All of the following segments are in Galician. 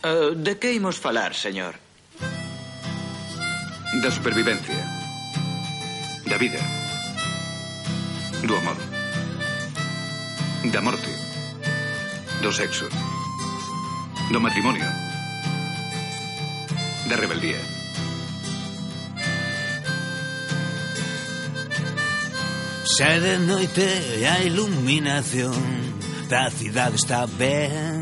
De que imos falar, señor? Da supervivencia, da vida, do amor, da morte, do sexo, do matrimonio, da rebeldía. Xa de noite a iluminación da cidade está ben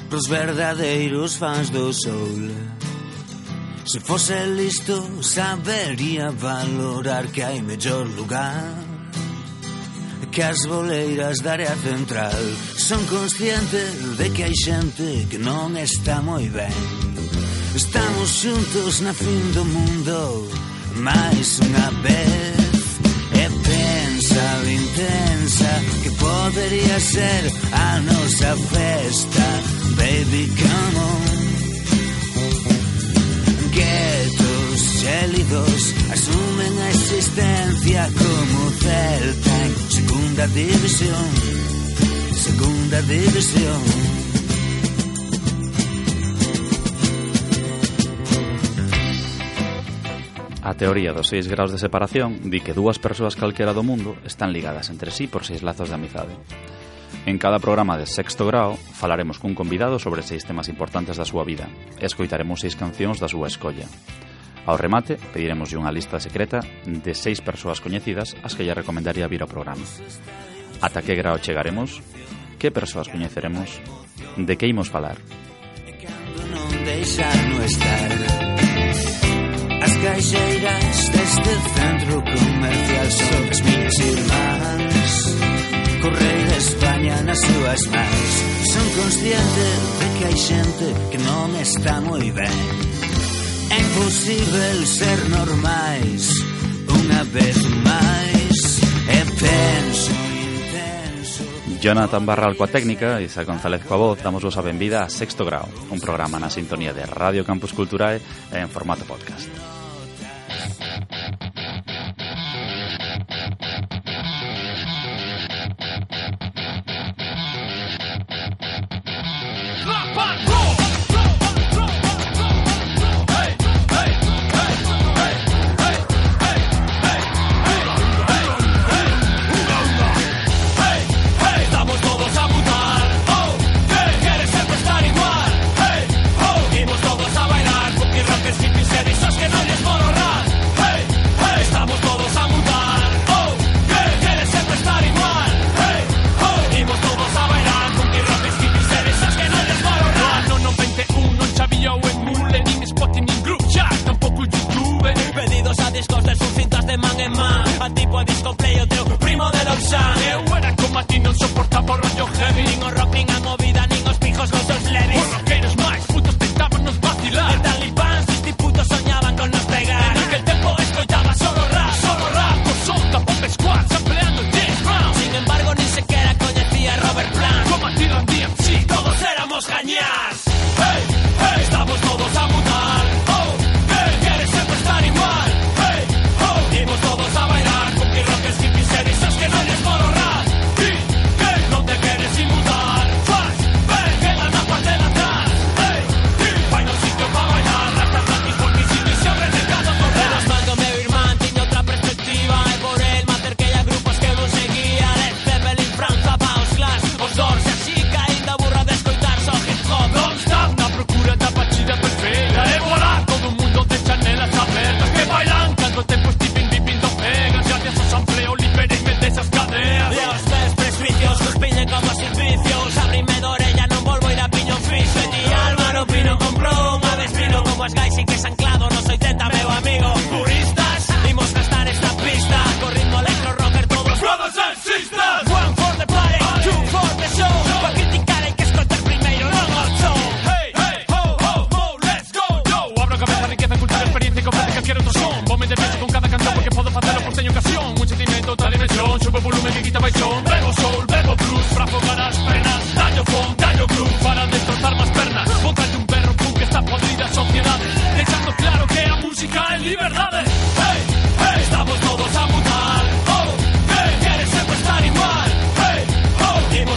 pros verdadeiros fans do sol. Se fose listo sabería valorar que hai mellor lugar que as boleiras da área central. Son consciente de que hai xente que non está moi ben. Estamos xuntos na fin do mundo máis unha vez. E pensa o intensa que podería ser a nosa festa. Baby, come on. Guetos gélidos asumen a existencia como Celta en segunda división. Segunda división. A teoría dos 6 graus de separación di que dúas persoas calquera do mundo están ligadas entre sí por 6 lazos de amizade. En cada programa de Sexto Grao falaremos cun convidado sobre 6 temas importantes da súa vida e escoitaremos 6 cancións da súa escolla. Ao remate, pediremoslle unha lista secreta de 6 persoas coñecidas as que lle recomendaría vir ao programa. Ata que grao chegaremos? Que persoas coñeceremos? De que imos falar? As caixeiras deste centro comercial son as miñas irmás. Correio de España nas súas mans. Son consciente de que hai xente que non está moi ben. É imposible ser normais unha vez máis. E penso intenso. Jonathan Barral coa técnica, Isa González coa voz. Damos vos a benvida a Sexto Grao, un programa na sintonía de Radio Campus Culturae en formato podcast.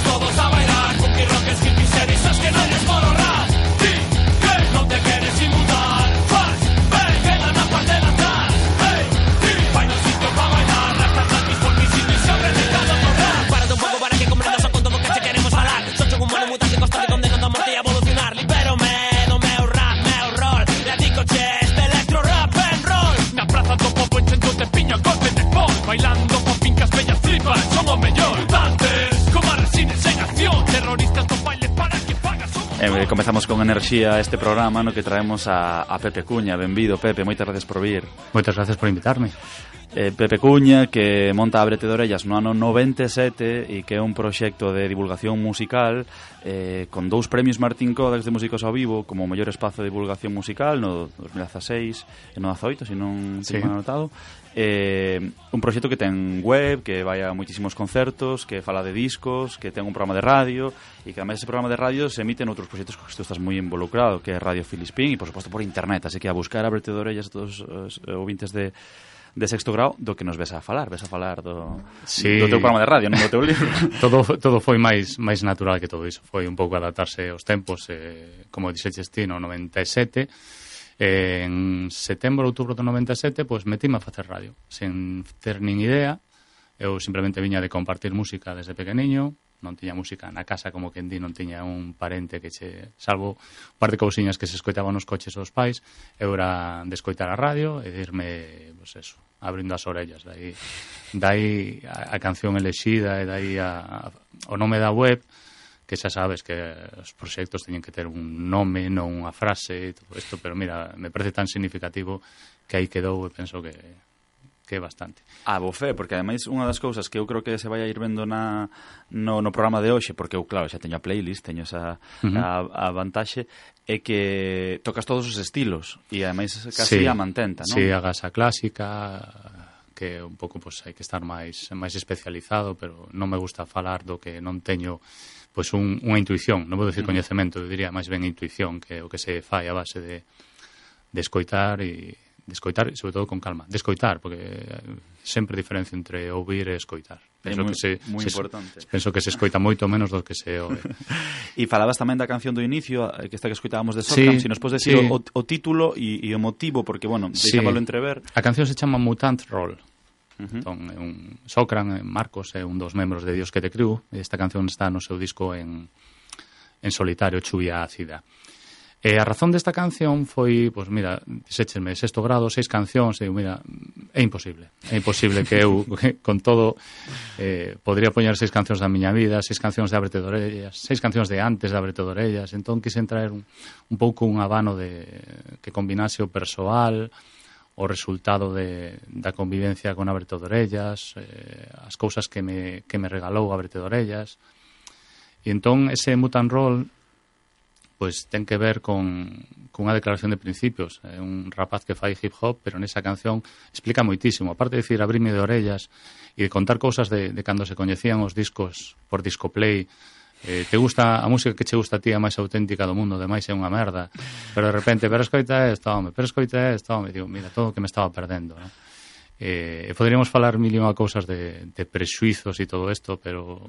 Todos a bailar, porque rock es hippie, ser esos que no les puedo ahorrar. Comezamos con enerxía este programa no que traemos a Pepe Cuña. Benvido, Pepe, moitas gracias por vir. Moitas gracias por invitarme. Pepe Cuña, que monta a Brete de Orellas no ano 97 e que é un proxecto de divulgación musical con 2 premios Martín Codax de Músicos ao Vivo como o mellor espazo de divulgación musical no 2016 e no 18, se non teño anotado. Un proxecto que ten web, que vai a moitísimos concertos, que fala de discos, que ten un programa de radio e que además ese programa de radio se emite en outros proxectos que tú estás moi involucrado, que é Radio Filispín e por suposto por internet, así que a buscar a Brete de Orellas a todos os ouvintes de Sexto Grao do que nos ves a falar do teu programa de radio, non do teu libro. todo foi máis natural que todo iso, foi un pouco adaptarse aos tempos, como dixeches ti no 97. En setembro, outubro do 97, pois metime a facer radio, sen ter nin idea. Eu simplemente viña de compartir música desde pequeniño, non tiña música na casa, como quen di, non tiña un parente que salvo un par de cousiñas que se escoitaban nos coches dos pais, eu era de escoitar a radio e de irme, pois eso, abrindo as orellas. Dai a canción elexida e dai o nome da web, que xa sabes que os proxectos teñen que ter un nome, non unha frase e todo isto, pero mira, me parece tan significativo que aí quedou e penso que é bastante. Bofé, porque ademais unha das cousas que eu creo que se vai a ir vendo no programa de hoxe, porque eu, claro, xa teño a playlist, teño esa a vantaxe, é que tocas todos os estilos e ademais casi a mantenta, non? Sí, hagas a clásica, que un pouco pois hai que estar máis especializado, pero non me gusta falar do que non teño pois unha intuición, non vou dicir coñecemento, eu diría máis ben intuición, que é o que se fai a base de escoitar e sobre todo con calma, de escoitar, porque sempre diferencia entre ouvir e escoitar. Penso moi importante. Penso que se escoita moito menos do que se ouve. E falabas tamén da canción do inicio, que esta que escoitábamos de Socram, se nos podes decir o título e o motivo, porque, bueno, deixábalo entrever. A canción se chama Mutant Roll. Entón, Socram, Marcos, é un dos membros de Dios que te criou, e esta canción está no seu disco en solitario, Chuvia Ácida. E a razón desta canción foi, pois mira, dixéchesme, Sexto Grado, 6 cancións, e mira, é imposible que eu, con todo, podría poñer 6 cancións da miña vida, 6 cancións de Ábrete de Orellas, 6 cancións de antes de Ábrete de Orellas, entón quixen traer un pouco un abano que combinase o persoal, o resultado da convivencia con Ábrete de Orellas, as cousas que me regalou Ábrete de Orellas, e entón ese Mutant Roll pois ten que ver con unha declaración de principios. É un rapaz que fai hip hop, pero nesa canción explica moitísimo. Aparte de dicir abrime de orellas e de contar cousas de cando se coñecían os discos por Discoplay. Te gusta a música que che gusta a ti, a máis auténtica do mundo, demais é unha merda. Pero de repente, pero escoita esta, home. Digo, mira, todo o que me estaba perdendo, ¿no? Poderíamos falar mil e unha cousas de prexuizos e todo isto, pero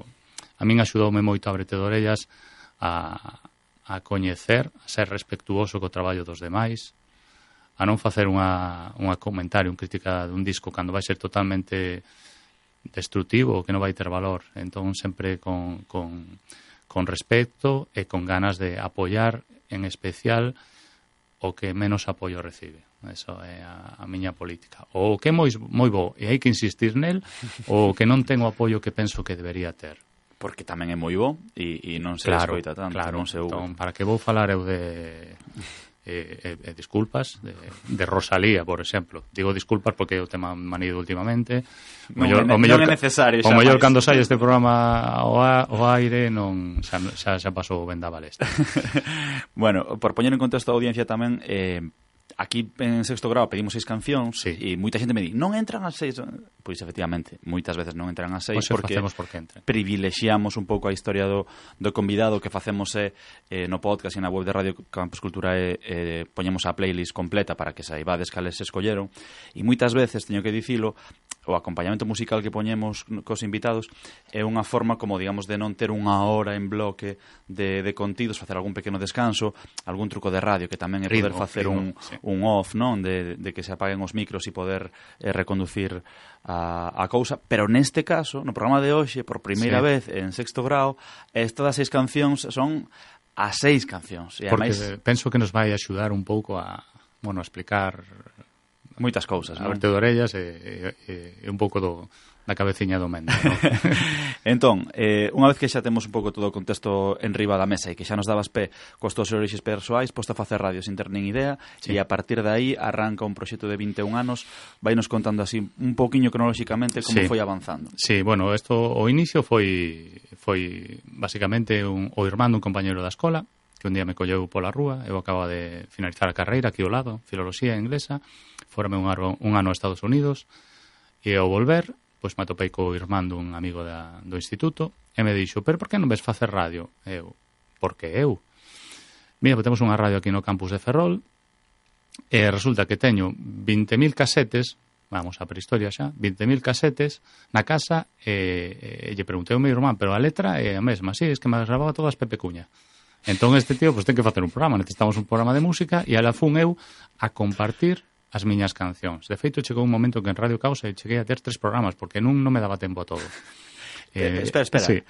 a min axudoume moito Ábrete de Orellas a coñecer, a ser respectuoso co traballo dos demais, a non facer unha comentario, unha crítica dun disco cando vai ser totalmente destructivo, que non vai ter valor. Entón, sempre con respecto e con ganas de apoiar, en especial, o que menos apoio recibe. Eso é a miña política. O que é moi bo, e hai que insistir nel, o que non ten o apoio que penso que debería ter. Porque tamén é moi bo e non se escoita tanto. Claro, entón, para que vou falar eu de disculpas de Rosalía, por exemplo. Digo disculpas porque o tema manido últimamente. Non é necesario. O mellor cando sai este programa ao aire xa pasou o vendaval este. Bueno, por poñer en contexto a audiencia tamén, aquí en Sexto Grado pedimos 6 cancións e moita xente me di, non entran as 6. Pois efectivamente, moitas veces non entran as 6 porque privilexiamos un pouco a historia do convidado. Que facemos no podcast e na web de Radio Campus Cultura poñemos a playlist completa para que saibades cales se escolleron, e moitas veces, teño que dicilo, o acompañamento musical que poñemos cos invitados é unha forma como, digamos, de non ter unha hora en bloque de contidos, facer algún pequeno descanso, algún truco de radio que tamén é poder facer un off, non? De que se apaguen os micros e poder reconducir a cousa, pero neste caso, no programa de hoxe, por primeira vez en Sexto Grado, estas 6 cancións son as 6 cancións. E porque penso que nos vai axudar un pouco a explicar Moitas cousas, non? Aberte de orellas e un pouco da cabeciña do mendo, non? Entón, unha vez que xa temos un pouco todo o contexto en riba da mesa e que xa nos dabas pé cos teus orixes persoais, posto a facer radio sin ter nin idea, e a partir de aí arranca un proxecto de 21 anos, vai nos contando así un pouquiño cronolóxicamente como foi avanzando. Sí, bueno, o inicio foi basicamente o irmán dun compañeiro da escola, que un día me colleu pola rúa, eu acaba de finalizar a carreira aquí ao lado, filoloxía inglesa, fórame un ano a Estados Unidos, e ao volver, pois me atopei co irmán dun amigo do instituto, e me dixo, pero por que non ves facer radio? Eu, porque eu? Mira, pues temos unha radio aquí no campus de Ferrol, e resulta que teño 20.000 casetes, vamos a prehistoria xa, 20.000 casetes na casa, e lle preguntei ao meu irmán, pero a letra é a mesma, sí, es que me grababa todas Pepe Cuña. Entón este tío pues ten que facer un programa, necesitamos un programa de música e ala fun eu a compartir as miñas cancións. De feito, chegou un momento que en Radio Causa cheguei a ter 3 programas porque non me daba tempo a todo. Espera. Sí.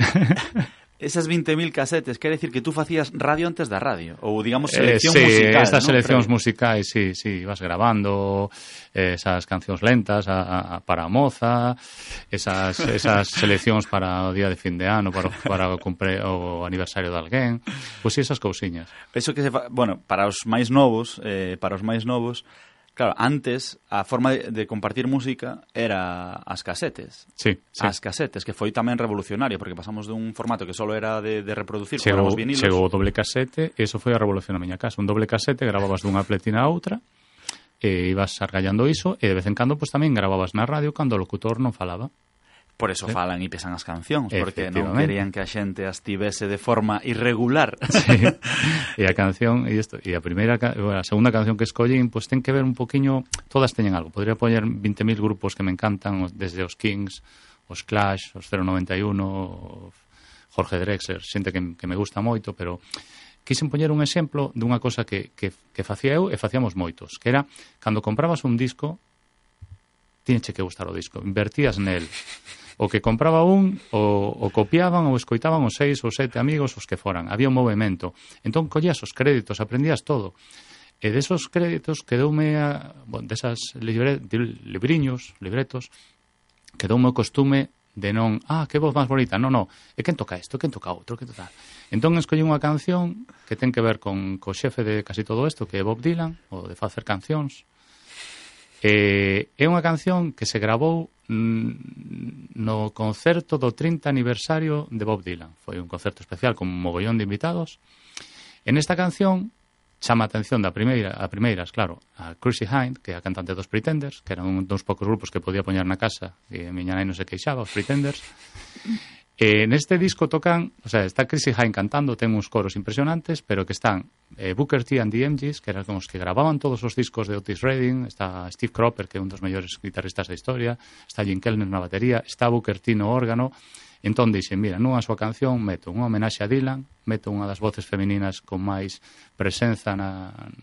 Esas 20.000 casetes, quere decir que tú facías radio antes da radio? Ou, digamos, selección musical, ¿no? Estas seleccións Previo. musicais, sí, vas grabando esas cancións lentas para a moza, esas seleccións para o día de fin de ano, para o aniversario de alguén, pois esas cousiñas. Eso que bueno, para os máis novos, claro, antes a forma de compartir música era as casetes. Sí. As casetes, que foi tamén revolucionario, porque pasamos dun formato que solo era de reproducir programas vinilos. Chegou o doble casete, e iso foi a revolución na miña casa. Un doble casete, grababas dunha pletina a outra, e ibas argallando iso, e de vez en cando pues, tamén grababas na radio cando o locutor non falaba. Por eso falan e pesan as cancións, porque non querían que a xente as tivese de forma irregular. Sí. E a canción, e a segunda canción que escollín, pues ten que ver un poquinho, todas teñen algo. Podría poñer 20.000 grupos que me encantan, desde os Kings, os Clash, os 091, Jorge Drexler, xente que me gusta moito, pero quixen poñer un exemplo dunha cosa que facía eu e facíamos moitos, que era, cando comprabas un disco, tiñeche que gustar o disco, invertías nel. O que compraba o copiaban ou escoitaban os 6 ou 7 amigos os que foran. Había un movimento. Entón, collías os créditos, aprendías todo. E desos créditos quedoume desas libretos, quedoume o costume de non, que voz máis bonita, non, e quen toca isto, quen toca outro, quen toca. Entón, escollí unha canción que ten que ver co xefe de casi todo isto, que é Bob Dylan, o de facer cancións. É unha canción que se gravou no concerto do 30 aniversario de Bob Dylan. Foi un concerto especial con un mogollón de invitados. En esta canción chama a atención a primeiras, claro, a Chrissie Hynde, que é a cantante dos Pretenders, que eran un dos poucos grupos que podía poñer na casa e a miña nai non se queixaba, os Pretenders. Neste disco tocan, está Chrissie Hynde cantando, ten uns coros impresionantes, pero que están Booker T and the MGs, que eran os que gravaban todos os discos de Otis Redding, está Steve Cropper, que é un dos mellores guitarristas da historia, está Jim Kellner na batería, está Booker T no órgano. Entón dixen, mira, nunha súa canción meto unha homenaxe a Dylan, meto unha das voces femininas con máis presenza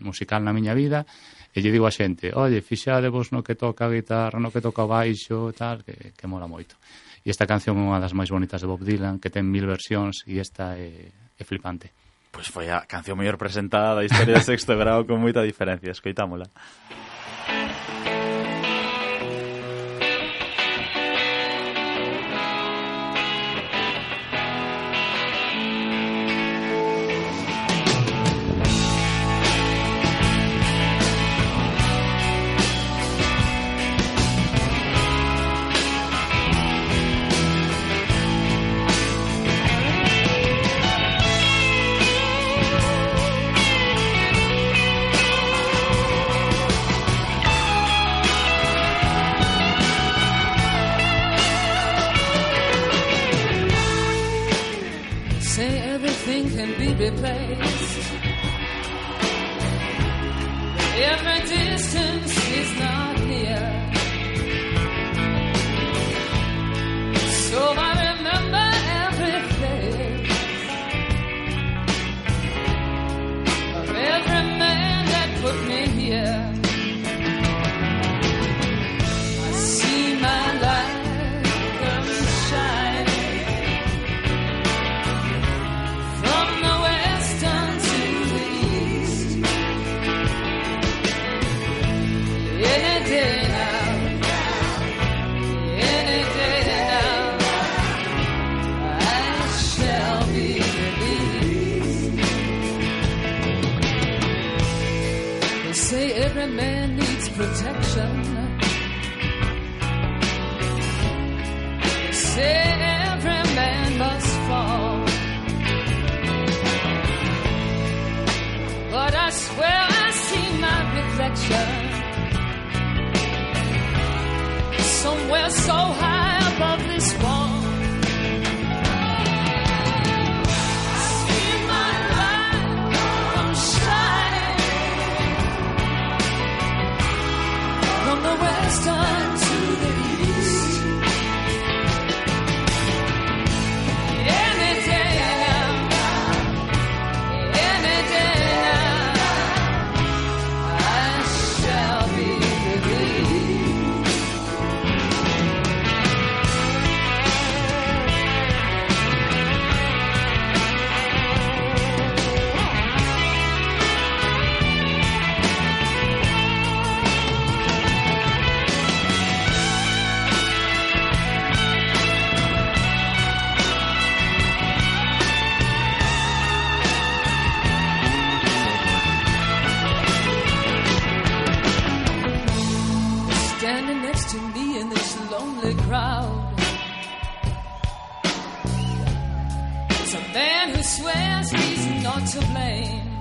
musical na miña vida, e lle digo a xente, oye, fixadevos no que toca a guitarra, no que toca o baixo, tal, que mola moito. E esta canción é unha das máis bonitas de Bob Dylan, que ten 1000 versións, e esta é flipante. Pois foi a canción mellor presentada da historia de Sexto Grao con moita diferencia, escoitámola. In a day every man needs protection. They say every man must fall, but I swear I see my reflection somewhere so high above this wall. I see my light come shining from the western to the east. Any day now, any day now, I shall be relieved. Standing next to me in this lonely crowd is a man who swears he's not to blame.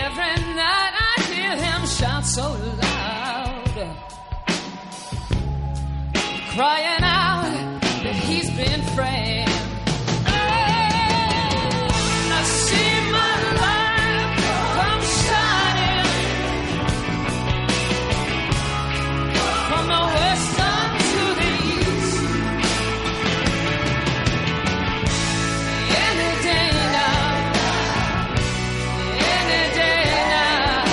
Every night I hear him shout so loud, crying out that he's been framed. I see my life come shining from the western to the east. Any day now, any day now,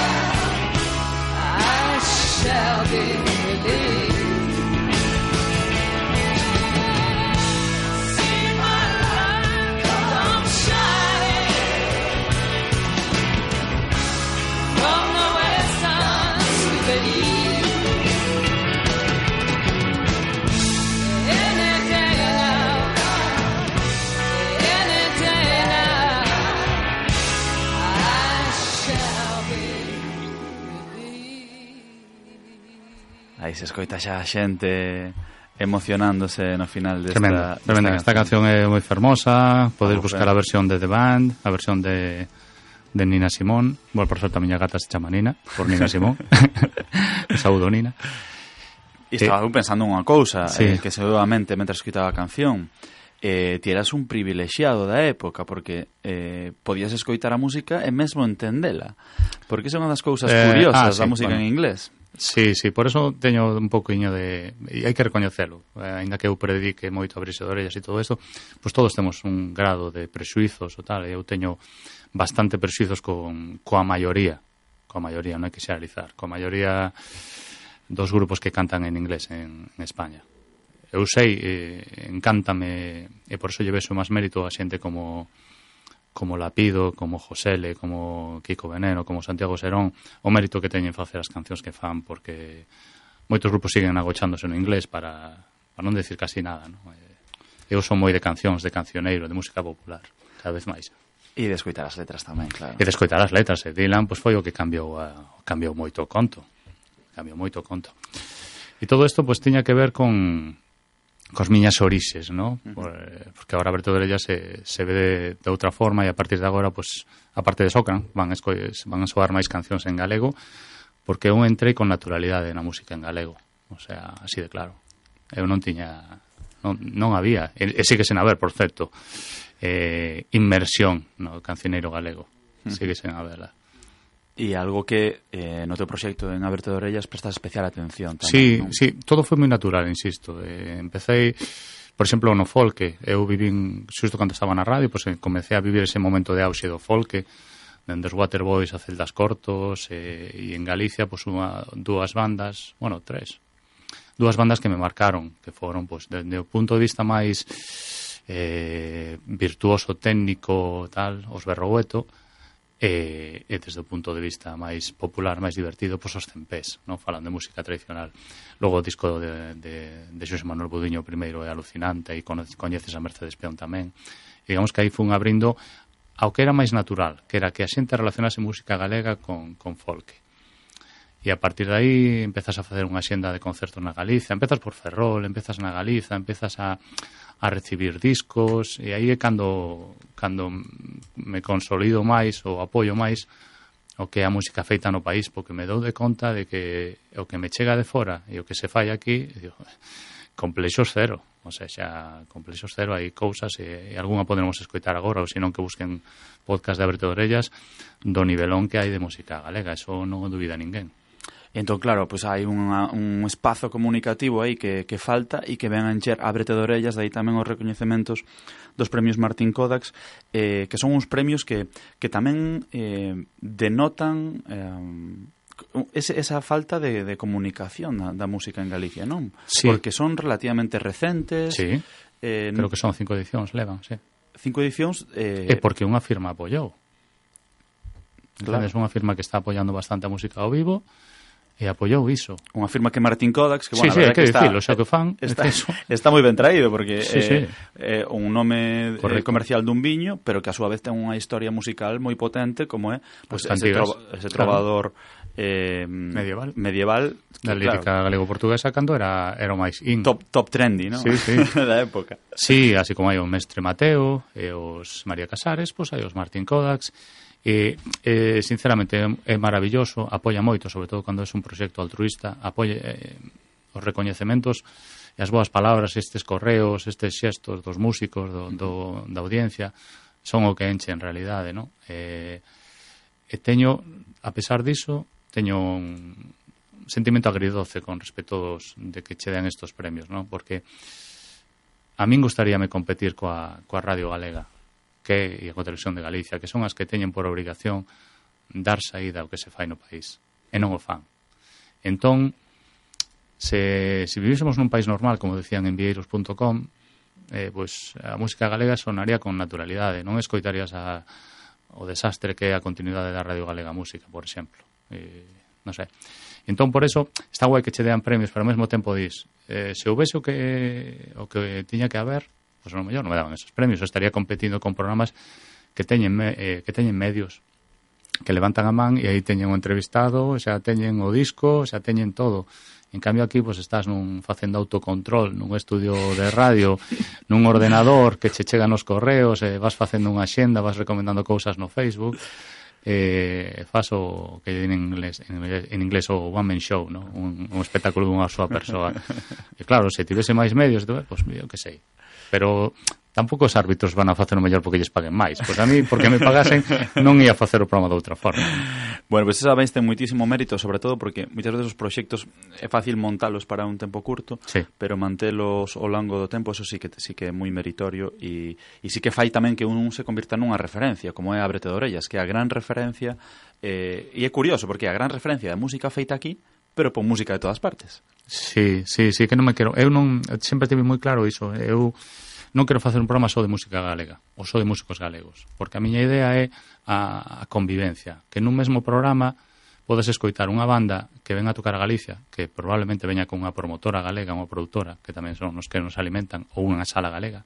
I shall be relieved. See my life come shining from the western to the east. Any day now, any day now, I shall be relieved. Aí se escoita xa a xente emocionándose no final desta, Tremenda, tremenda. Esta canción é moi fermosa. Podes buscar a versión de The Band, a versión de Nina Simone. Bueno, por certo, a miña gata se chama Nina, por Nina Simone. Saúdo, Nina. E estaba pensando unha cousa, Sí. que seguramente mentre escutaba a canción, ti eras un privilexiado da época, porque podías escoitar a música e mesmo entendela. Porque esa é unha das cousas curiosas da sí, música bueno. en inglés. Sí, sí, por eso teño un pouquiño de... E hai que recoñecelo. Ainda que eu predique moito abrirse de orellas e todo isto, pois todos temos un grado de prexuizos ou tal, e eu teño bastante prexuizos coa maioría. Coa maioría, non hai que xeneralizar. Coa maioría dos grupos que cantan en inglés en España. Eu sei, encántame, e por eso lle vexo máis mérito a xente como Lapido, como Josele, como Kiko Veneno, como Santiago Serón, o mérito que teñen facer as cancións que fan, porque moitos grupos siguen agochándose no inglés para non decir casi nada, non? Eu son moi de cancións, de cancioneiro, de música popular, cada vez máis. E de escoitar as letras tamén, claro. E de escoitar as letras, Dylan, pois foi o que cambiou moito o conto. Cambiou moito o conto. E todo isto, pois, tiña que ver cos miñas orixes, ¿no? Porque agora Aberto de Orellas se ve de outra forma, e a partir de agora, pues, a parte de Socran, van a soar máis cancións en galego, porque eu entrei con naturalidade na música en galego, o sea, así de claro. Eu non tiña, non había, e sigue sen haber, por certo, inmersión no cancioneiro galego, sigue sen haberla. E algo que no teu proxecto en Aberto de Orellas prestas especial atención tamén, Sí, non? sí, todo foi moi natural, insisto. Empecé, por exemplo, no folque. Eu vivín, xusto cando estaba na radio, pues, comecé a vivir ese momento de auxe do folque, dende os Waterboys a Celdas Cortos, e en Galicia, pues, dúas bandas, bueno, tres, dúas bandas que me marcaron, que foron, pues, desde o punto de vista máis virtuoso, técnico, tal, os Berrogueto, e desde o punto de vista máis popular, máis divertido, pois os Cempés, non? Falando de música tradicional. Logo o disco de Xosé Manuel Budiño primeiro é alucinante, e coñeces a Mercedes Peón tamén. E digamos que aí fun abrindo ao que era máis natural, que era que a xente relacionase música galega con folk. E a partir de aí empezas a facer unha xenda de concertos na Galiza, empezas por Ferrol, empezas na Galiza, empezas a recibir discos, e aí é cando me consolido máis ou apoio máis o que é a música feita no país, porque me dou de conta de que o que me chega de fora e o que se fai aquí, digo, complexos cero, o sea, complexos cero, hai cousas e algunha poderemos escoitar agora, ou senón que busquen podcast de Abrete de Orellas do nivelón que hai de música galega, eso non o dubida ninguén. Entón, claro, pues hai un espazo comunicativo aí que falta e que ven a encher Ábrete de Orellas, dai tamén os recoñecementos dos premios Martín Kodax, que son uns premios que tamén denotan esa falta de comunicación da música en Galicia, non? Sí. Porque son relativamente recentes. Sí, creo que son 5 edicións, levan, sí. 5 edicións... E porque unha firma apoiou. Claro. É unha firma que está apoiando bastante a música ao vivo, e apoiou iso. Unha firma que Martín Kodax, que, bueno, sí, que dicilo, xa que fan, está moi ben traído, porque sí. Un nome comercial dun viño, pero que a súa vez ten unha historia musical moi potente, como é pues, ese trovador medieval da lírica galego-portuguesa, cando era o máis in. Top trendy, non? Sí. Da época. Sí, así como hai o Mestre Mateo, e os María Casares, pois hai os Martín Kodax. E sinceramente é maravilloso, apoia moito, sobre todo cando é un proxecto altruista, apoia os recoñecementos e as boas palabras, estes correos, estes xestos dos músicos, da audiencia, son o que enche en realidade, non? E teño, a pesar diso, teño un sentimento agridoce con respecto de que che den estos premios, non? Porque a min gustaríame competir coa Radio Galega, e a Televisión de Galicia, que son as que teñen por obrigación dar saída ao que se fai no país, e non o fan. Entón, se vivísemos nun país normal, como decían en vieiros.com, pois a música galega sonaría con naturalidade, non escoitarías o desastre que é a continuidade da Radio Galega Música, por exemplo. Non sei. Entón, por eso, está guai que che dean premios, pero ao mesmo tempo dis, se houvese o que tiña que haber, pois a lo mellor non me daban esos premios, estaría competindo con programas que teñen medios, que levantan a man e aí teñen o entrevistado, xa teñen o disco, xa teñen todo. En cambio aquí, pois estás facendo autocontrol nun estudio de radio, nun ordenador que che chegan os correos, vas facendo unha xenda, vas recomendando cousas no Facebook, faz o que en inglés o one man show, ¿no? un espectáculo dunha súa persoa. E claro, se tivese máis medios, pois eu que sei. Pero tampouco os árbitros van a facer o mellor porque lles paguen máis. Pois a mí, porque me pagasen, non ia facer o programa de outra forma. Bueno, pois esa vez ten moitísimo mérito, sobre todo porque moitas veces os proxectos é fácil montalos para un tempo curto, sí, pero mantelos ao longo do tempo, eso sí que é moi meritorio e sí que fai tamén que un se convirta nunha referencia, como é Ábrete de Orellas, que é a gran referencia, e é curioso, porque é a gran referencia da música feita aquí, pero por música de todas partes. Sí, que non me quero. Eu sempre tive moi claro iso. Eu non quero facer un programa só de música galega, ou só de músicos galegos, porque a miña idea é a convivencia, que nun mesmo programa podes escoitar unha banda que ven a tocar a Galicia, que probablemente veña con unha promotora galega, unha produtora, que tamén son os que nos alimentan, ou unha sala galega,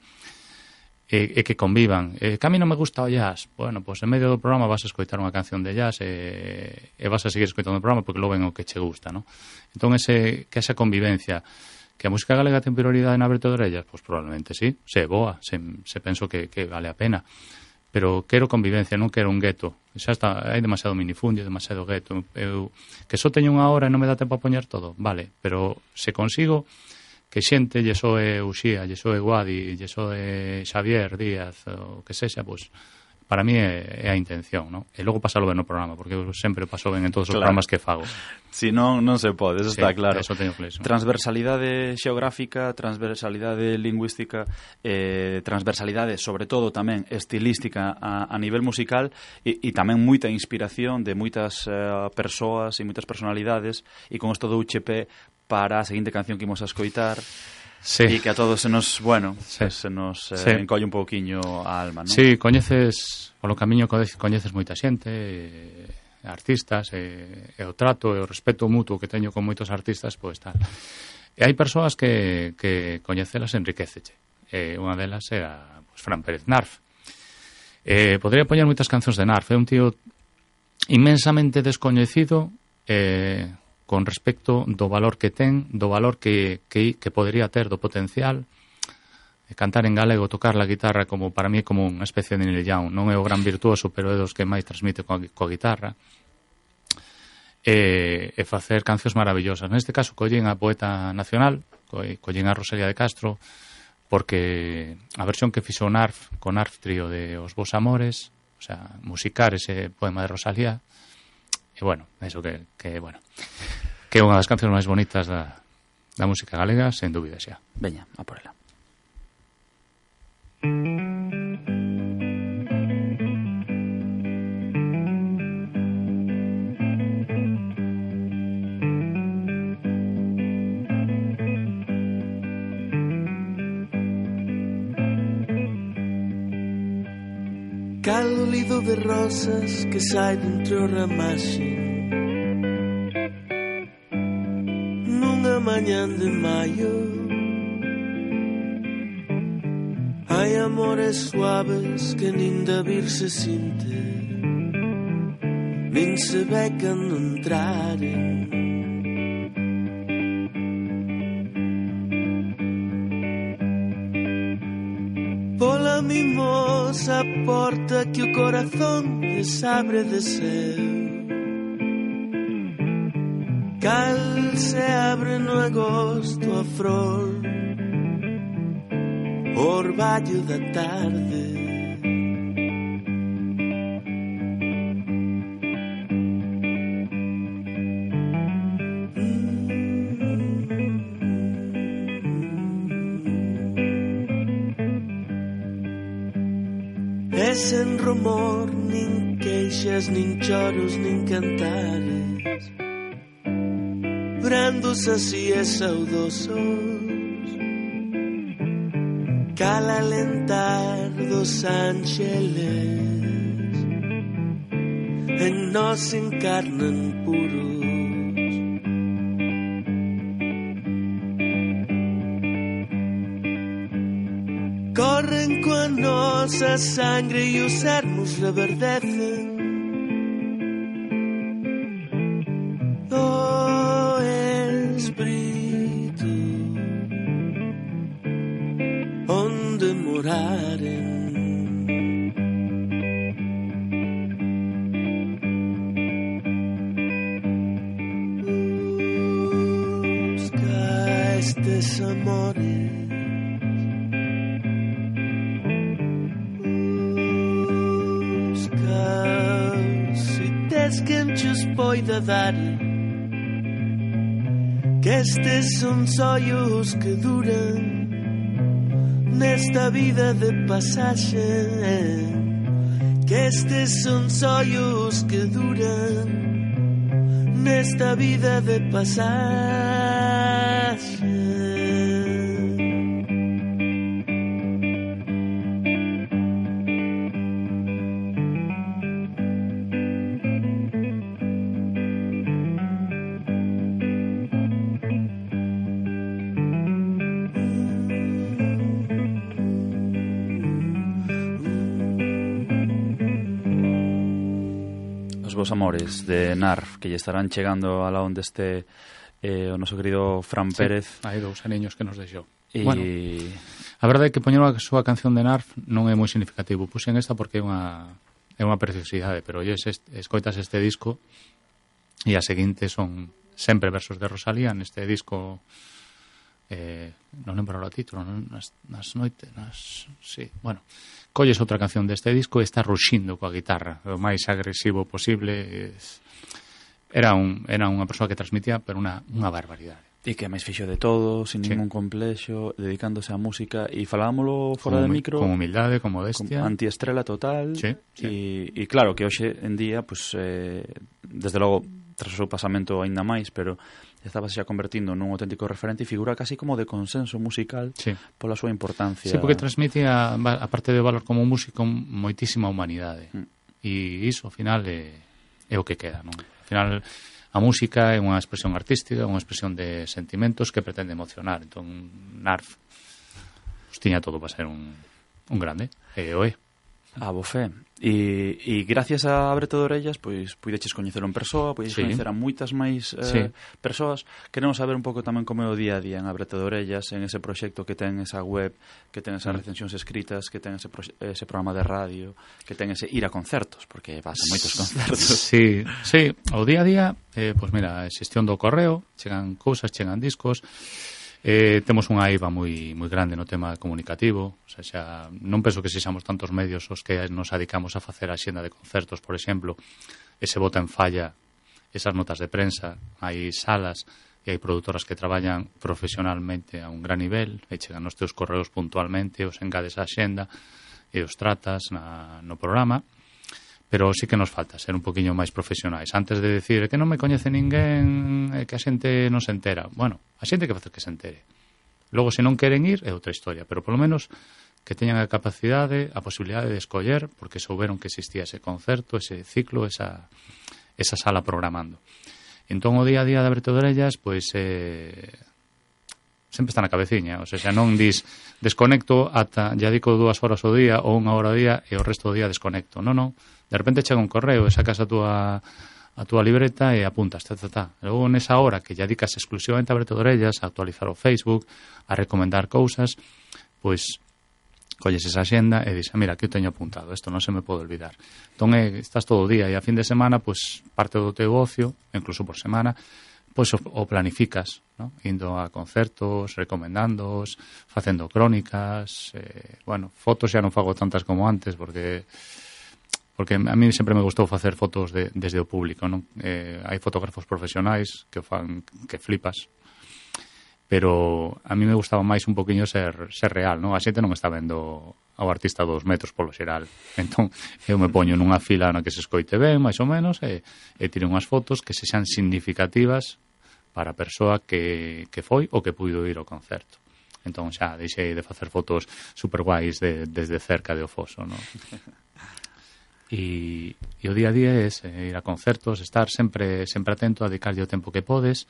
e que convivan. Que a mí non me gusta o jazz. Bueno, pois en medio do programa vas a escoitar unha canción de jazz e vas a seguir escoitando o programa porque logo ven o que che gusta, non? Entón, que esa convivencia, que a música galega ten prioridade na Abrete de Orellas, pois probablemente sí, se é boa, se penso que vale a pena. Pero quero convivencia, non quero un gueto. Xa está, hai demasiado minifundio, demasiado gueto. Que só teño unha hora e non me dá tempo a poñer todo, vale, pero se consigo que xente lle soe Uxía, lle soe Guadi, lle soe Xavier Díaz, o que sexa, pois para mí é a intención, non? E logo pasalo ben no programa, porque eu sempre paso ben en todos os programas que fago. Si non se pode, eso está claro. Eso teño claro. Transversalidade xeográfica, transversalidade lingüística, transversalidade, sobre todo tamén estilística a nivel musical e tamén moita inspiración de moitas persoas e moitas personalidades, e con isto do UCP para a seguinte canción que imos a escoitar, sí, e que a todos se nos, sí, se nos encolle un pouquiño a alma, non? Sí, coñeces, polo camiño coñeces moita xente, artistas, e o trato e o respeto mutuo que teño con moitos artistas, pois tal. E hai persoas que coñecelas enriqueceche. Unha delas é a Fran Pérez Narf. Podría poñer moitas cancións de Narf. É un tío inmensamente descoñecido con respecto do valor que ten, do valor que podría ter, do potencial. Cantar en galego, tocar la guitarra, como para mí é como unha especie de Neil Young. Non é o gran virtuoso, pero é dos que máis transmite coa guitarra. E facer cancións maravillosas. Neste caso, collen a poeta nacional, collen a Rosalía de Castro, porque a versión que fixo Narf, con Narf Trío de Os Vos Amores, o sea, musicar ese poema de Rosalía, e bueno, eso que é unha das cancións máis bonitas da música galega, sen dúbida xa. Veña, a por ela. Cal lido de rosas que sai dentro o ramaxe nunha mañán de maio. Hai amores suaves que nin de vir se sinte, nin se ve cando entraren. Pola mimosa porta que o corazón desabre de seu, cal se abre no agosto a flor, o orballo da tarde. E sen rumor, nin queixas, nin choros, nin cantares, brandos así e saudosos, cal alentar dos ángeles en nós encarnan puros. Corren coa nosa sangre e os ermos reverdecen. O espírito onde moraren. Busca estes amores, quen chos poida dar, que estes son sonhos que duran nesta vida de pasaxe, que estes son sonhos que duran nesta vida de pasaxe. Vos Amores de Narf, que lle estarán chegando a la onde este o noso querido Fran Pérez. Hai 2 aniños que nos deixou. Bueno, a verdade é que poñer a súa canción de Narf non é moi significativo. Puxen esta porque é unha preciosidade, pero escoitas este disco e a seguinte son sempre versos de Rosalía neste disco. Non lembro o título, nas noites, sí, bueno, colles outra canción deste disco e está ruxindo coa guitarra, o máis agresivo posible. Era unha persoa que transmitía pero unha barbaridade. E que máis fixo de todo, sin ningún complexo, dedicándose á música, e falámoslo fora de micro, con humildade, con modestia, con antiestrela total. Sí. E claro que hoxe en día, pues, desde logo tras o seu pasamento aínda máis, pero estaba xa convertindo nun auténtico referente e figura casi como de consenso musical pola súa importancia. Sí, porque transmite a parte de valor como músico moitísima humanidade. E iso, ao final, é o que queda, non? Ao final, a música é unha expresión artística, unha expresión de sentimentos que pretende emocionar. Entón, Narf tiña todo para ser un grande. E o é. A bofé. E gracias a Abrete de Orellas, pois puideches coñecelo en persoa, puideches coñecer a moitas máis persoas. Queremos saber un pouco tamén como é o día a día en Abrete de Orellas, en ese proxecto que ten esa web, que ten esas recensións escritas, que ten ese programa de radio, que ten ese ir a concertos, porque vas a moitos concertos. Sí, o día a día, pois mira, a xestión do correo, chegan cousas, chegan discos. Temos unha eiva moi grande no tema comunicativo, o sea, xa non penso que sexamos tantos medios os que nos dedicamos a facer a xenda de concertos, por exemplo, e se bota en falla esas notas de prensa, hai salas e hai produtoras que traballan profesionalmente a un gran nivel e chegan os teus correos puntualmente, os engades á xenda e os tratas no programa. Pero sí que nos falta ser un poquinho máis profesionais. Antes de decir que non me coñece ninguén, que a xente non se entera. Bueno, a xente que facer que se entere. Logo, se non queren ir, é outra historia. Pero, polo menos, que teñan a capacidade, a posibilidade de escoller, porque souberon que existía ese concerto, ese ciclo, esa sala programando. Entón, o día a día de Abrete de Orellas, pois, sempre está na cabeciña. O sea, xa non dis desconecto ata, ya dico 2 horas ao día ou 1 hora ao día e o resto do día desconecto. Non. De repente chega un correo e sacas a túa libreta e apuntas, Logo, nesa hora que ya dedicas exclusivamente a Abrete de Orellas, a actualizar o Facebook, a recomendar cousas, pois colles esa xenda e dis, mira, aquí o teño apuntado, isto non se me pode olvidar. Entón, estás todo o día e a fin de semana, pois, parte do teu ocio, incluso por semana, pois o planificas, ¿no? Indo a concertos, recomendándoos, facendo crónicas, fotos xa non fago tantas como antes, porque a mí sempre me gustou facer fotos desde o público, non? Hai fotógrafos profesionais que fan que flipas, pero a mí me gustaba máis un poquinho ser real, non? A xente non está vendo ao artista 2 metros polo xeral. Entón, eu me poño nunha fila na que se escoite ben, máis ou menos, e tiro unhas fotos que sexan significativas para a persoa que foi ou que puido ir ao concerto. Entón, xa deixei de facer fotos super guais desde cerca de o foso, non? E o día a día é ir a concertos, estar sempre atento a dedicarlle o tempo que podes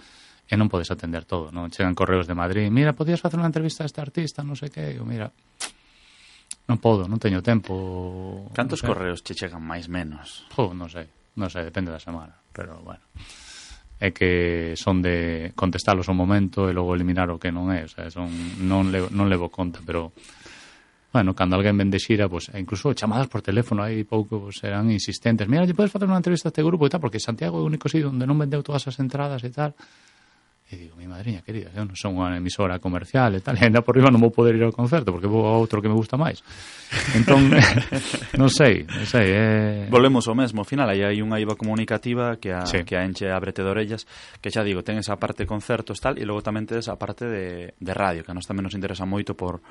e non podes atender todo, non? Chegan correos de Madrid, mira, podías facer unha entrevista a este artista, non sei que, mira, non podo, non teño tempo. Cantos correos che chegan máis menos? Non sei, depende da semana, pero bueno, é que son de contestalos ao momento e logo eliminar o que non é, o sea, non levo conta, pero bueno, cando alguén vende xira, pues, incluso chamadas por teléfono, hai pouco pues, serán insistentes. Mira, lle podes facer unha entrevista a este grupo e tal, porque Santiago é o único sitio onde non vendeu todas as entradas e tal. E digo, mi madriña querida, eu non son unha emisora comercial e tal, e ainda por riba non vou poder ir ao concerto, porque vou a outro que me gusta máis. Entón, non sei. Volvemos ao mesmo, ao final, aí hai unha IVA comunicativa que a enche Abrete de Orellas, que xa digo, ten esa parte de concertos tal, e logo tamén tedes a parte de radio, que a nos tamén nos interesa moito por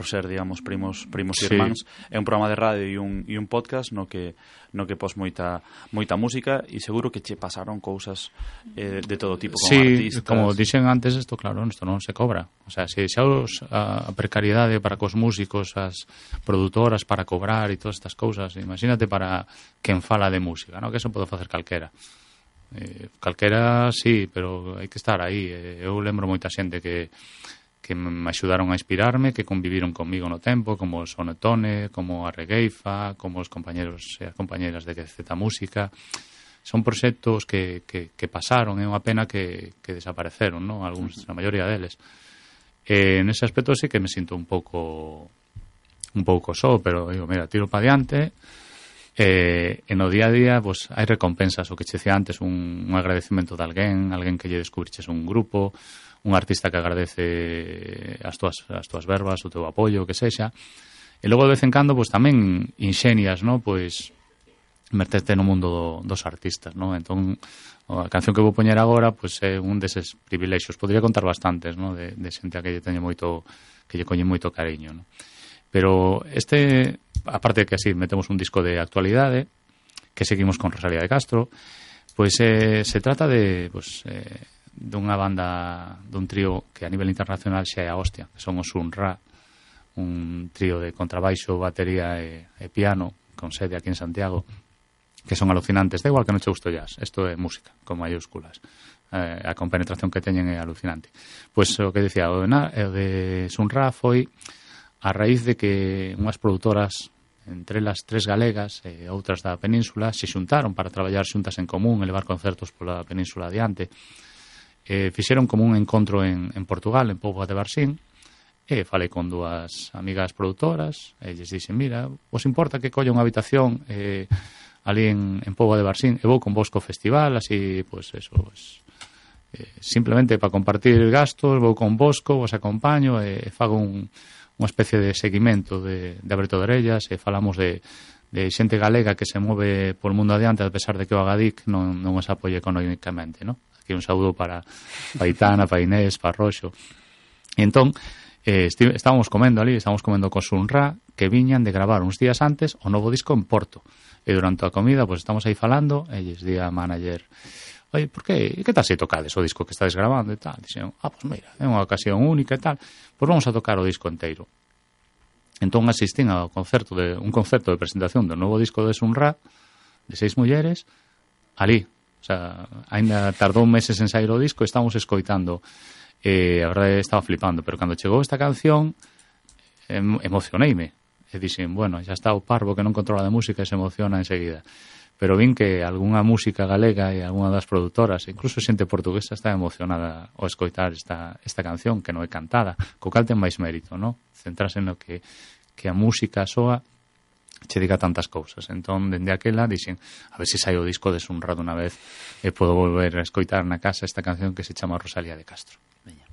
ser, digamos, primos irmáns. É un programa de radio e un podcast no que pos moita música, e seguro que che pasaron cousas de todo tipo, como artistas. Como dixen antes, isto claro, isto non se cobra. O sea, se xa a precariedade para cos músicos, as produtoras para cobrar e todas estas cousas, imagínate para quen fala de música, non? Que eso pode facer calquera. Calquera, sí, pero hai que estar aí. Eu lembro moita xente que me axudaron a inspirarme, que conviviron comigo no tempo, como o Sonetone, como a Regueifa, como os compañeros e as compañeras de Z Música. Son proxectos que pasaron, é unha pena que desapareceron, non? Algúns, a maioría deles. Nese aspecto sí que me sinto un pouco só, pero digo, mira, tiro para diante. No día a día, pues, hai recompensas, o que che dicía antes, un agradecemento de alguén que lle descubriches un grupo, un artista que agradece as túas verbas, o teu apoio, o que sexa. E logo, de vez en cando, pues, tamén inxenias, ¿no? Pues, meterte no mundo dos artistas, ¿no? Entón, a canción que vou poñer agora, pues, é un deses privilexios. Podría contar bastantes, ¿no? De xente a que lle coñe moito cariño, ¿no? Pero aparte de que así metemos un disco de actualidade, que seguimos con Rosalía de Castro, pues se trata de unha banda, dun trío que a nivel internacional xa é a hostia, que son os Sun-Ra, un trío de contrabaixo, batería e piano, con sede aquí en Santiago, que son alucinantes. Da igual que non che gusto jazz, isto é música, con mayúsculas. A compenetración que teñen é alucinante. Pois o que dicía, o de Sun-Ra foi a raíz de que unhas produtoras entre elas 3 galegas e outras da península, se xuntaron para traballar xuntas en común e levar concertos pola península adiante. Fixeron como un encontro en Portugal, en Póvoa de Varzín, e falei con 2 amigas produtoras, e lles dixen, mira, vos importa que colla unha habitación ali en Póvoa de Varzín e vou con vos co festival, así, pues eso, pues, simplemente para compartir gastos, vou con Bosco, vos acompaño e fago unha especie de seguimento de aberto de orellas e falamos de xente galega que se move polo mundo adiante a pesar de que o Agadic non os apoie económicamente, ¿no? Aquí un saúdo para Aitana, para Inés, para Roxo. E entón, estábamos comendo co Sunra, que viñan de gravar uns días antes o novo disco en Porto. E durante a comida, pues estamos aí falando, e lles di a manager, oye, por que tal se tocades o disco que estades grabando e tal? Dixen, pues mira, é unha ocasión única e tal, pois vamos a tocar o disco inteiro. Entón asistín un concerto de presentación do novo disco de Sunra, de 6 mulleres, ali. O sea, ainda tardou meses en sair o disco e estamos escoitando. A verdade estaba flipando, pero cando chegou esta canción emocioneime. E dixen, bueno, xa está o parvo que non controla de música e se emociona enseguida. Pero vin que algunha música galega e algunha das produtoras, incluso xente portuguesa, está emocionada ao escoitar esta canción, que non é cantada, co cal ten máis mérito, non? Centrarse no que a música soa che diga tantas cousas. Entón, dende aquela, dixen, a ver se sai o disco de Sunra dunha vez e podo volver a escoitar na casa esta canción que se chama Rosalía de Castro. Veña.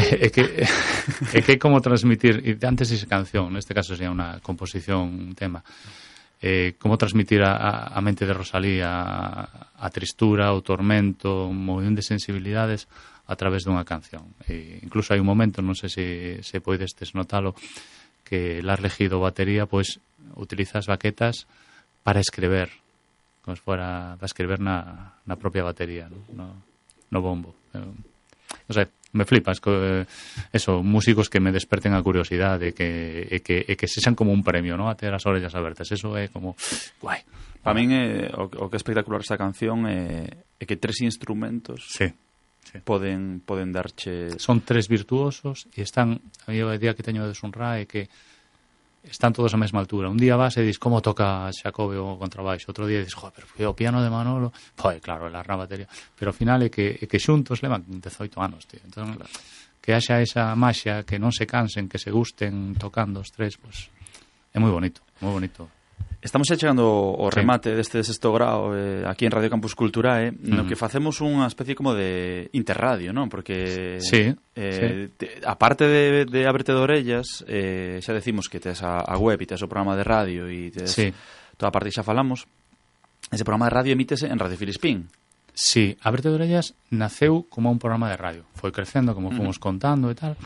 É que como transmitir, e antes dice canción, neste caso sería unha composición, un tema, como transmitir a mente de Rosalía a tristura, o tormento, un montón de sensibilidades a través dunha canción. E incluso hai un momento, non sei se poidestes notalo, que la elegido batería, pois utiliza as baquetas para escrever, como se fora para escrever na propia batería, no bombo. Non sei, me flipas eso, músicos que me desperten a curiosidade e que sexan como un premio, ¿no? A ter as orellas abertas, eso é como guai. Para min o que é espectacular esta canción é que 3 instrumentos poden darche... Son 3 virtuosos e están, a idea que teño de Sunra é que están todos a mesma altura. Un día vas e dis como toca Xacobe o contrabaixo, outro día dis, joder, pero o piano de Manolo, pois claro, la batería, pero ao final é que xuntos levan 18 anos, tío. Entón, claro, que haxa esa maxia, que non se cansen, que se gusten tocando os 3, pois é moi bonito, moi bonito. Estamos chegando ao remate deste sexto grao aquí en Radio Campus Culturae, no que facemos unha especie como de interradio, non? Porque aparte de Ábrete de Orellas, xa decimos que tes a web e tes o programa de radio e tes toda a parte que xa falamos. Ese programa de radio emítese en Radio Filispín. Sí, Ábrete de Orellas naceu como un programa de radio. Foi crecendo, como fomos contando e tal.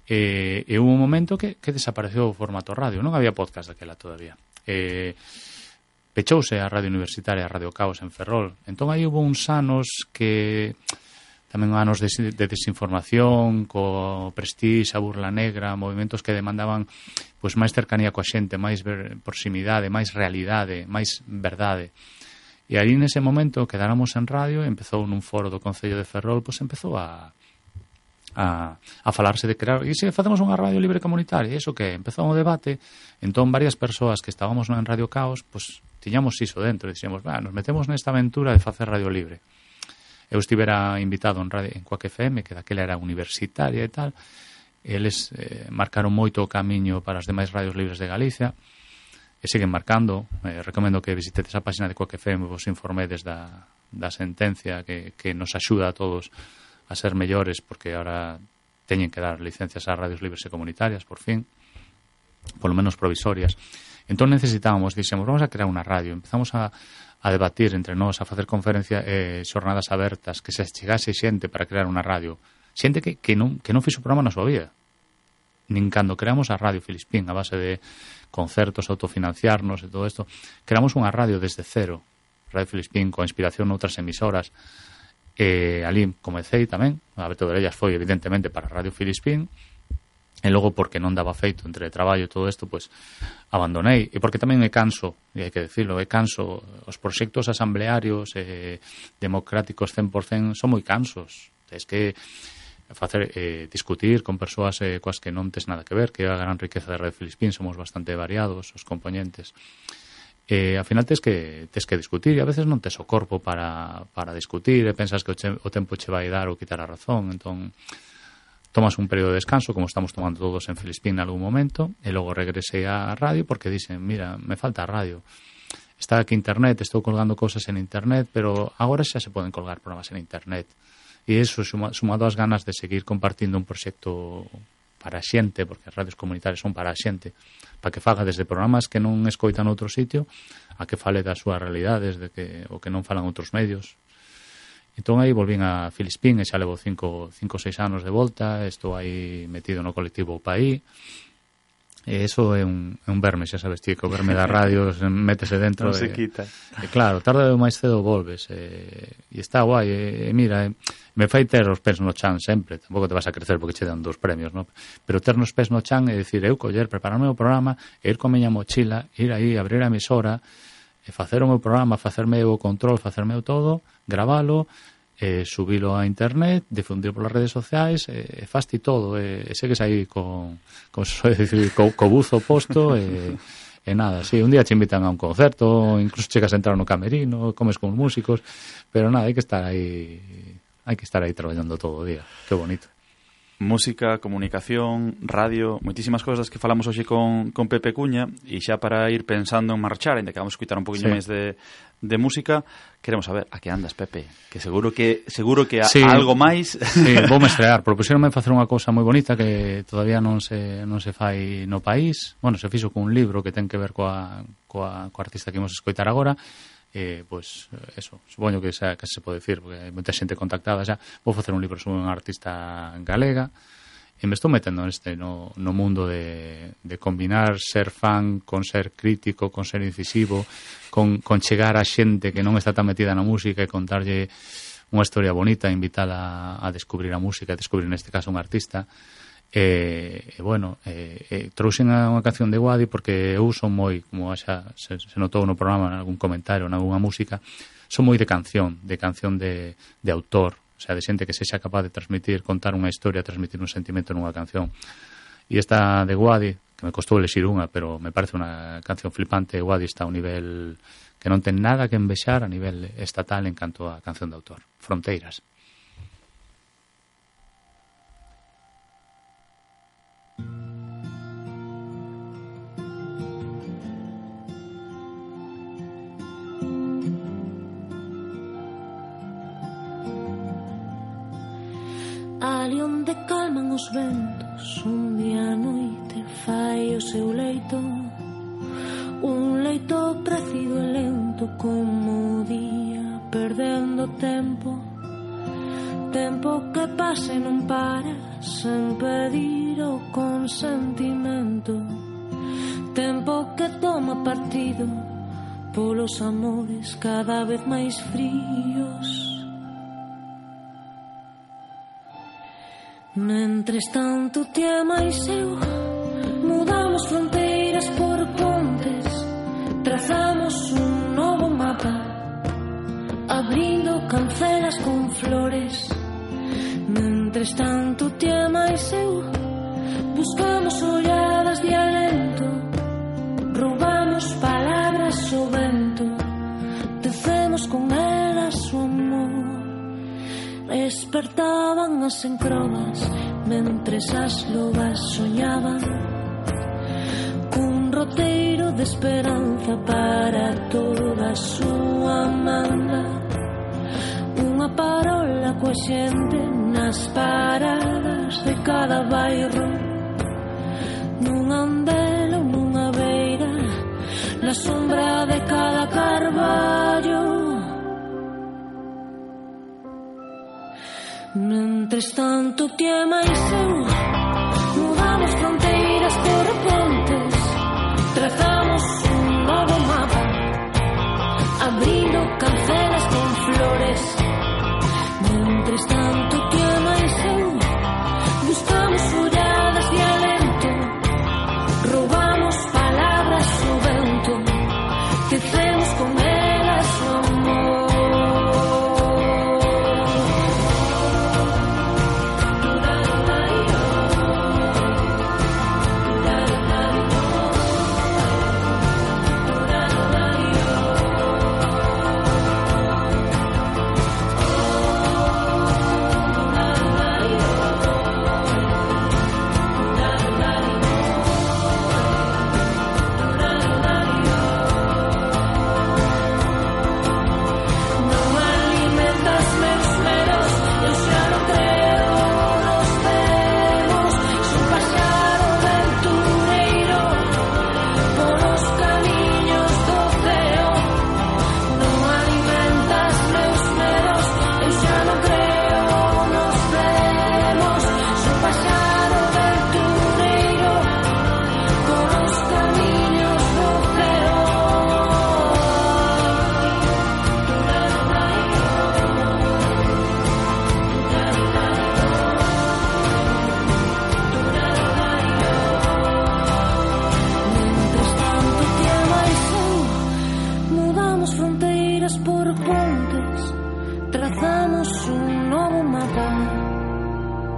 E hubo un momento que desapareceu o formato radio. Non había podcast daquela todavía. Pechouse a Radio Universitaria, a Radio Caos en Ferrol. Entón aí hubo uns anos que tamén anos de desinformación, co Prestige, a Burla Negra, movimentos que demandaban pois máis cercanía coa xente, máis proximidade, máis realidade, máis verdade. E aí nese momento quedáramos en radio, empezou nun foro do Concello de Ferrol, pois empezou a falarse de crear, e se facemos unha radio libre comunitaria, iso que empezou un debate, entón varias persoas que estábamos en Radio Caos, pois tiñamos iso dentro, e dixemos, nos metemos nesta aventura de facer radio libre. Eu estivera invitado en Quack FM, que daquela era universitaria e tal, e eles marcaron moito o camiño para as demais radios libres de Galicia, e siguen marcando. Recomendo que visitedes a página de Quack FM, vos informedes da sentencia que nos axuda a todos a ser mellores, porque ahora teñen que dar licencias a radios libres e comunitarias, por fin, polo menos provisorias. Entón necesitábamos, dixemos, vamos a crear unha radio. Empezamos a debatir entre nós, a facer conferencias, xornadas abertas, que se chegase xente para crear unha radio. Xente que non fixo programa na súa vida. Nin cando creamos a Radio Filispín, a base de concertos, autofinanciarnos e todo isto, creamos unha radio desde cero. Radio Filispín, con inspiración noutras emisoras. Ali comecei tamén, a Ábrete de Orellas foi evidentemente para Radio Filispín, e logo porque non daba feito entre traballo e todo isto, pois abandonei, e porque tamén me canso, e hai que decirlo, os proxectos asamblearios democráticos 100% son moi cansos. Tens que facer discutir con persoas coas que non tes nada que ver, que é a gran riqueza de Radio Filispín, somos bastante variados os componentes. Ao final tes que discutir, e a veces non tes o corpo para discutir, e pensas que o tempo che vai dar ou quitar a razón, entón tomas un período de descanso, como estamos tomando todos en Filispín en algún momento, e logo regresei á radio porque dixen, mira, me falta a radio. Está aquí internet, estou colgando cousas en internet, pero agora xa se poden colgar programas en internet. E iso, sumado ás ganas de seguir compartindo un proxecto para a xente, porque as radios comunitarias son para a xente, para que faga desde programas que non escoitan outro sitio a que fale das súas realidades, o que non falan outros medios. Entón aí volvín a Filispín, e xa levo 5 ou 6 anos de volta, estou aí metido no colectivo Paí, e eso é un verme, xa sabes ti, que o verme da radio métese dentro. Non se quita. E claro, tarde ou máis cedo volves, e está guai, e mira, me fai ter os pés no chan sempre, tampouco te vas a crecer porque che dan 2 premios, no? Pero ter nos pés no chan e dicir, eu coller, prepararme o programa, e ir con miña mochila, ir aí, abrir a emisora, e facer o meu programa, facerme o control, facerme o todo, gravalo, subilo a internet, difundir polas redes sociais, e fasti todo, e segues aí con buzo posto, e nada, sí, un día te invitan a un concerto, incluso chegas a entrar no camerino, comes con músicos, pero nada, hai que estar aí traballando todo o día, que bonito. Música, comunicación, radio, moitísimas cousas que falamos hoxe con Pepe Cuña, e xa para ir pensando en marchar, ainda que vamos a escutar un poquinho máis de música, queremos saber a que andas, Pepe, que seguro que algo máis. Sí, vou me estrear, propusieronme facer unha cousa moi bonita que todavía non se fai no país. Bueno, se fixo con un libro que ten que ver coa artista que imos escoitar agora. Pois eso, supoño que se pode decir, porque hai moita xente contactada xa. Vou facer un libro sobre unha artista galega e me estou metendo no mundo de combinar ser fan con ser crítico, con ser incisivo, con chegar a xente que non está tan metida na música e contarlle unha historia bonita, invitala a descubrir a música, a descubrir neste caso un artista. Trouxen unha canción de Wadi porque eu son moi, como xa se notou no programa, en algún comentario, en algunha música, son moi de canción de autor, o sea, de xente que sexa capaz de transmitir, contar unha historia, transmitir un sentimento nunha canción. E esta de Wadi, que me costou elexir unha, pero me parece unha canción flipante. Wadi está a un nivel que non ten nada que envexar a nivel estatal en canto a canción de autor. Fronteiras. Ali onde calman os ventos, un día a noite fai o seu leito, un leito precido e lento como o día, perdendo tempo, tempo que pasa e non para, sen pedir o consentimento, tempo que toma partido polos amores cada vez máis fríos. Mentres tanto ti e máis eu mudamos fronteiras por pontes, trazamos un novo mapa, abrindo cancelas con flores. Mentres tanto ti e máis eu buscamos olladas de alento, roubamos palabras ao vento, tecemos con elas o amor. Despertaban as encrobas mentres as lobas soñaban cun roteiro de esperanza para toda a súa manda, unha parola coa xente nas paradas de cada bairro, nunha andela ou nunha beira, na sombra de cada carballo. Mentres tanto ti e máis eu mudamos fronteiras por pontes, trazamos un novo mapa, abrindo cancelas con flores. Mentres tanto ti e máis eu buscamos olladas de alento, roubamos palabras ao vento, tecemos con elas o amor.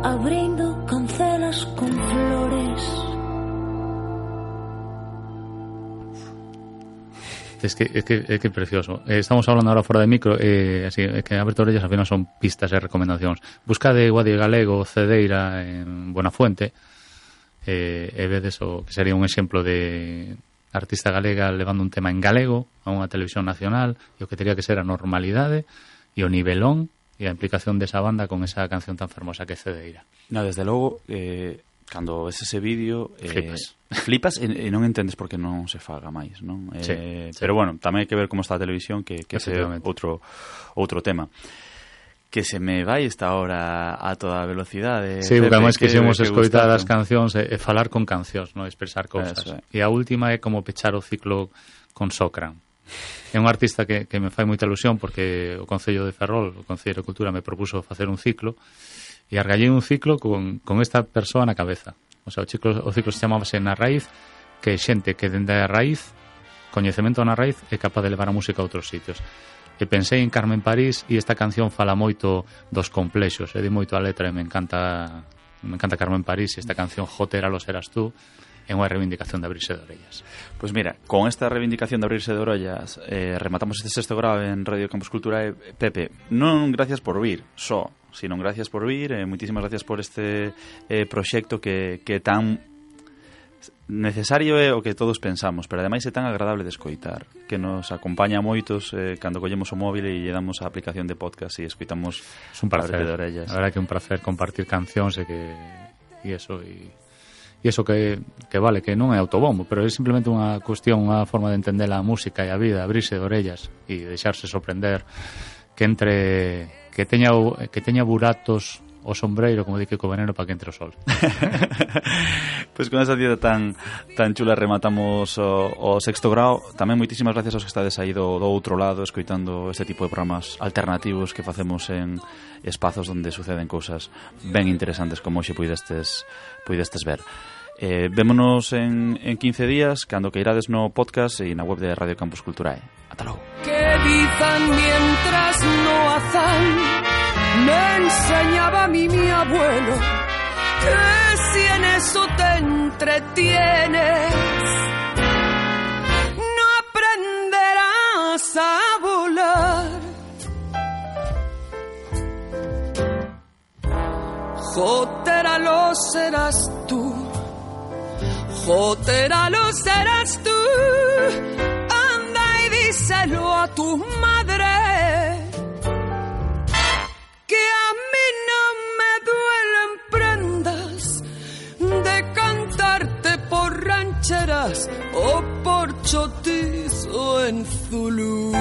Abrindo cancelas con flores. Es que precioso. Estamos hablando ahora fora de micro, así que Aberto Orellas al final son pistas e recomendacións. Buscade Guadi Galego, Cedeira en Buenafuente, e vedes o que sería un exemplo de artista galega levando un tema en galego a unha televisión nacional, e o que teria que ser a normalidade e o nivelón e a implicación desa banda con esa canción tan fermosa que é Cedeira. No, desde logo, cando ves ese vídeo flipas e non entendes por que non se faga máis, non? Sí. Pero bueno, tamén hai que ver como está a televisión, que é outro tema. Que se me vai esta hora a toda velocidade. Sí, porque además quixemos escoitar as cancións e falar con cancións, non expresar cousas. E a última é como pechar o ciclo con Socran. É un artista que me fai moita ilusión porque o Concello de Ferrol, o Concello de Cultura, me propuso facer un ciclo e argallei un ciclo con esta persoa na cabeza. O sea, o ciclo se chamábase Na Raíz, que é xente que dende a raíz, coñecemento na raíz, é capaz de levar a música a outros sitios. E pensei en Carmen París e esta canción fala moito dos complexos, di moito a letra e me encanta Carmen París e esta canción Jotera lo serás tú é unha reivindicación de abrirse de orellas. Pois mira, con esta reivindicación de abrirse de orellas rematamos este sexto grado en Radio Campus Cultura. Pepe, non gracias por vir sino gracias por vir, moitísimas gracias por este proxecto que tan necesario é o que todos pensamos, pero ademais é tan agradable de escoitar, que nos acompaña a moitos cando collemos o móvil e lle damos a aplicación de podcast e escoitamos. Es un placer, de orellas. A verdade que é un placer compartir cancións e eso que vale, que non é autobombo, pero é simplemente unha cuestión, unha forma de entender a música e a vida, abrirse de orellas e deixarse sorprender, que teña buratos o sombreiro, como di Kiko Veneno, para que entre o sol. Pois con esa cita tan chula rematamos o sexto grado. Tamén moitísimas gracias aos que estades aí do outro lado escoitando este tipo de programas alternativos que facemos en espazos onde suceden cousas ben interesantes como hoxe puidestes ver. Vémonos en 15 días cando que irades no podcast e na web de Radio Campus Culturae. Ata logo. Que dizan mientras no hacen, me enseñaba a mí mi abuelo, que si en eso te entretienes, no aprenderás a volar. Jotera lo serás tú, Jotera lo serás tú, anda y díselo a tu madre, que a mí no me duelen prendas de cantarte por rancheras o por chotizo en Zulú.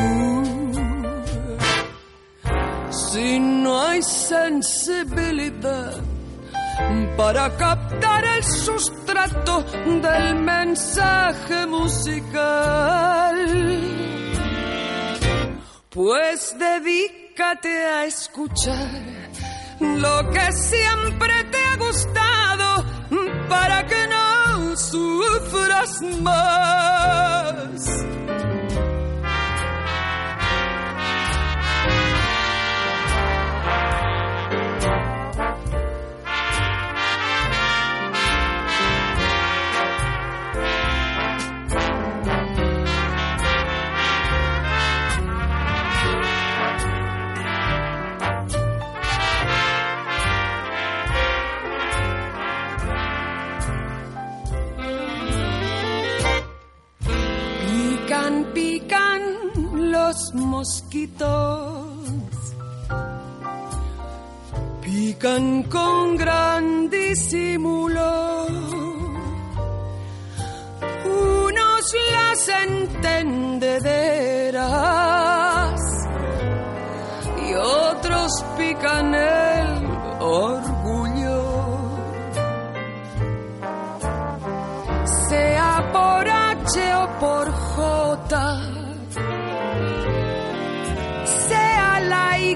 Si no hay sensibilidad para captar el sustrato del mensaje musical, pues dedícate a escuchar lo que siempre te ha gustado para que no sufras más. Pican los mosquitos, pican con gran disimulo, unos las entendederas y otros pican el orgullo, sea por H o por J, sea la Y